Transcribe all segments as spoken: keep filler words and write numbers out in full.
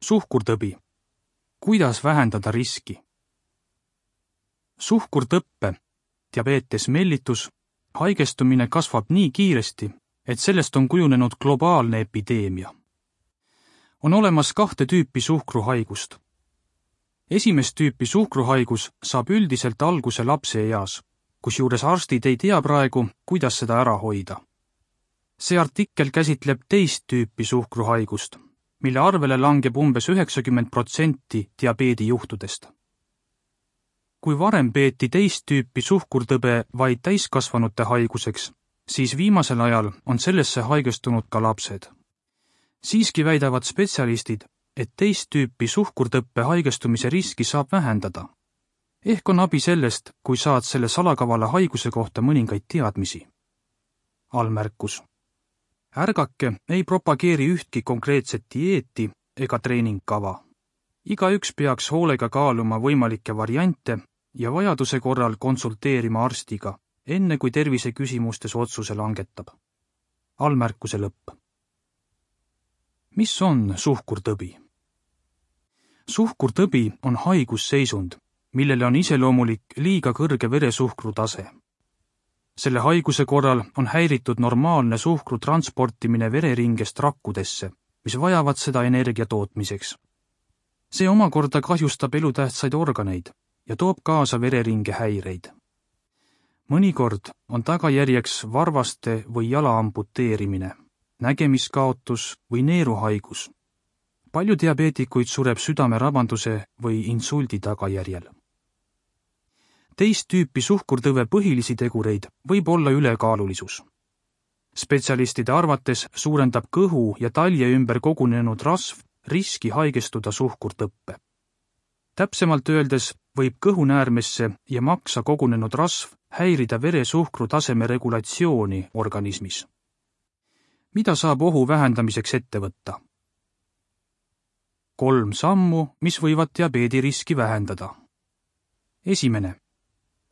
Suhkurtõbi. Kuidas vähendada riski? Suhkurtõppe, diabeetes mellitus, haigestumine kasvab nii kiiresti, et sellest on kujunenud globaalne epideemia. On olemas kahte tüüpi suhkruhaigust. Esimest tüüpi suhkruhaigus saab üldiselt alguse lapse eas, kusjuures arstid ei tea praegu, kuidas seda ära hoida. See artikkel käsitleb teist tüüpi suhkruhaigust, mille arvele langeb umbes üheksakümmend protsenti diabeedijuhtudest. Kui varem peeti teist tüüpi suhkurtõbe vaid täiskasvanute haiguseks, siis viimasel ajal on sellesse haigestunud ka lapsed. Siiski väidavad spetsialistid, et teist tüüpi suhkurtõppe haigestumise riski saab vähendada. Ehk on abi sellest, kui saad selle salakavala haiguse kohta mõningaid teadmisi. Allmärkus. Ärgake ei propageeri ühtki konkreetset dieeti ega treeningkava. Igaüks peaks hoolega kaaluma võimalikke variante ja vajaduse korral konsulteerima arstiga, enne kui tervise küsimustes otsuse langetab. Allmärkuse lõpp. Mis on suhkurtõbi? Suhkurtõbi on haigusseisund, millele on iseloomulik liiga kõrge veresuhkru tase. Selle haiguse korral on häiritud normaalne suhkru transportimine vereringest rakkudesse, mis vajavad seda energia tootmiseks. See omakorda kahjustab elutähtsaid organeid ja toob kaasa vereringe häireid. Mõnikord on tagajärjeks varvaste või jala amputeerimine, nägemiskaotus või neeruhaigus. Palju diabeetikuid sureb südamerabanduse või insuldi tagajärjel. Teist tüüpi suhkurtõve põhilisi tegureid võib olla ülekaalulisus. Spetsialistide arvates suurendab kõhu ja talje ümber kogunenud rasv riski haigestuda suhkurtõppe. Täpsemalt öeldes võib kõhunäärmesse ja maksa kogunenud rasv häirida veresuhkru taseme regulatsiooni organismis. Mida saab ohu vähendamiseks ette võtta? Kolm sammu, mis võivad diabeediriski vähendada. Esimene.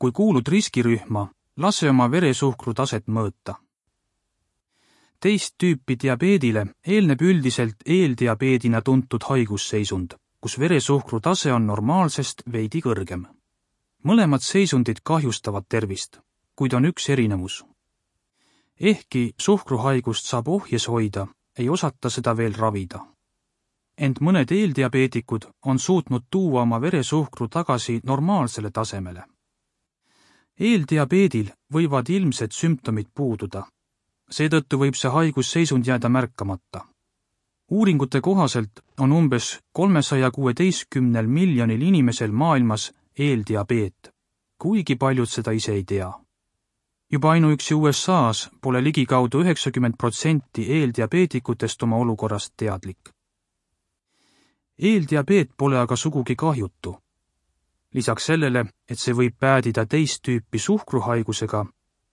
Kui kuulud riskirühma, lase oma veresuhkru taset mõõta. Teist tüüpi diabeedile eelneb üldiselt eeldiabeedina tuntud haigusseisund, kus veresuhkru tase on normaalsest veidi kõrgem. Mõlemad seisundid kahjustavad tervist, kuid on üks erinevus. Ehkki suhkruhaigust saab ohjes hoida, ei osata seda veel ravida. Ent mõned eeldiabeedikud on suutnud tuua oma veresuhkru tagasi normaalsele tasemele. Eeldiabeedil võivad ilmsed sümptomid puududa. Seetõttu võib see haigusseisund jääda märkamata. Uuringute kohaselt on umbes kolmesaja kuueteistkümnel miljonil inimesel maailmas eeldiabeet, kuigi paljud seda ise ei tea. Juba ainuüksi U S A-s pole ligikaudu üheksakümmend protsenti eeldiabeetikutest oma olukorrast teadlik. Eeldiabeet pole aga sugugi kahjutu. Lisaks sellele, et see võib päädida teist tüüpi suhkruhaigusega,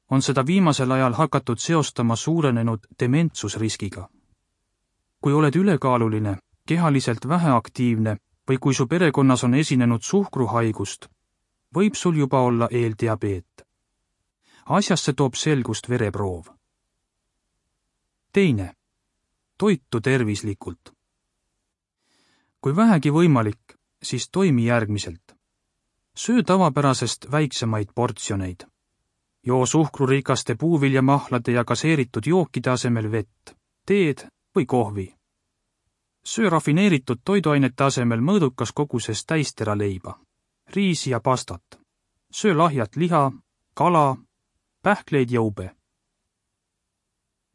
on seda viimasel ajal hakatud seostama suurenenud dementsusriskiga. Kui oled ülekaaluline, kehaliselt väheaktiivne või kui su perekonnas on esinenud suhkruhaigust, võib sul juba olla eeldiabeet. Asjasse toob selgust vereproov. Teine. Toitu tervislikult. Kui vähegi võimalik, siis toimi järgmiselt. Söö tavapärasest väiksemaid portsjoneid. Joo suhkrurikaste puuviljamahlade ja gaseeritud jookide asemel vett, teed või kohvi. Söö rafineeritud toiduainete asemel mõõdukas koguses täisteraleiba, riisi ja pastat. Söö lahjat liha, kala, pähkleid ja ube.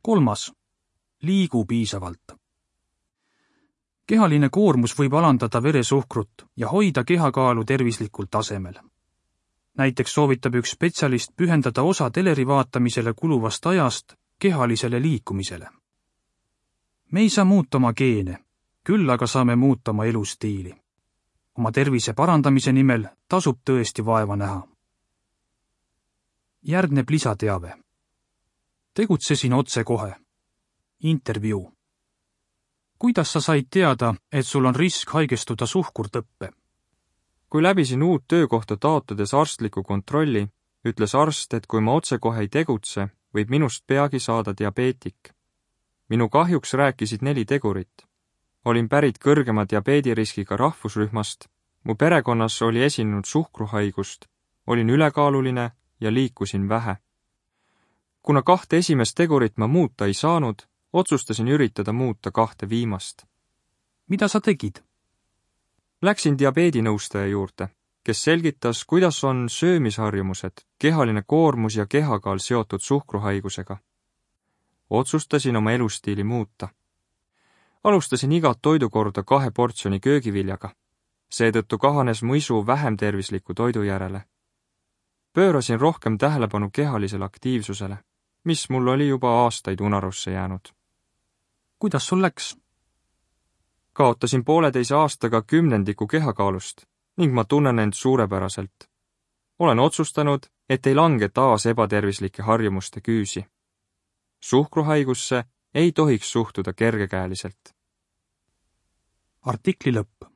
Kolmas. Liigu piisavalt. Kehaline koormus võib alandada veresuhkrut ja hoida kehakaalu tervislikul tasemel. Näiteks soovitab üks spetsialist pühendada osa teleri vaatamisele kuluvast ajast kehalisele liikumisele. Me ei saa muuta oma geene, küll aga saame muuta oma elustiili. Oma tervise parandamise nimel tasub tõesti vaeva näha. Järgneb lisateave. Tegutsesin otse kohe. Intervjuu. Kuidas sa said teada, et sul on risk haigestuda suhkurtõppe? Kui läbisin uut töökohta taotledes arstliku kontrolli, ütles arst, et kui ma otsekohe ei tegutse, võib minust peagi saada diabeetik. Minu kahjuks rääkisid neli tegurit. Olin pärit kõrgema diabeediriskiga rahvusrühmast, mu perekonnas oli esinenud suhkruhaigust, olin ülekaaluline ja liikusin vähe. Kuna kahte esimest tegurit ma muuta ei saanud, otsustasin üritada muuta kahte viimast. Mida sa tegid? Läksin diabeedinõustaja juurde, kes selgitas, kuidas on söömisharjumused, kehaline koormus ja kehakaal seotud suhkruhaigusega. Otsustasin oma elustiili muuta. Alustasin igat toidukorda kahe portsjoni köögiviljaga. Seetõttu kahanes mu isu vähem tervisliku toidu järele. Pöörasin rohkem tähelepanu kehalisele aktiivsusele, mis mul oli juba aastaid unarusse jäänud. Kuidas sul läks? Kaotasin pooleteise aastaga kümnendiku kehakaalust ning ma tunnen end suurepäraselt. Olen otsustanud, et ei lange taas ebatervislike harjumuste küüsi. Suhkruhaigusse ei tohiks suhtuda kergekäeliselt. Artikli lõpp.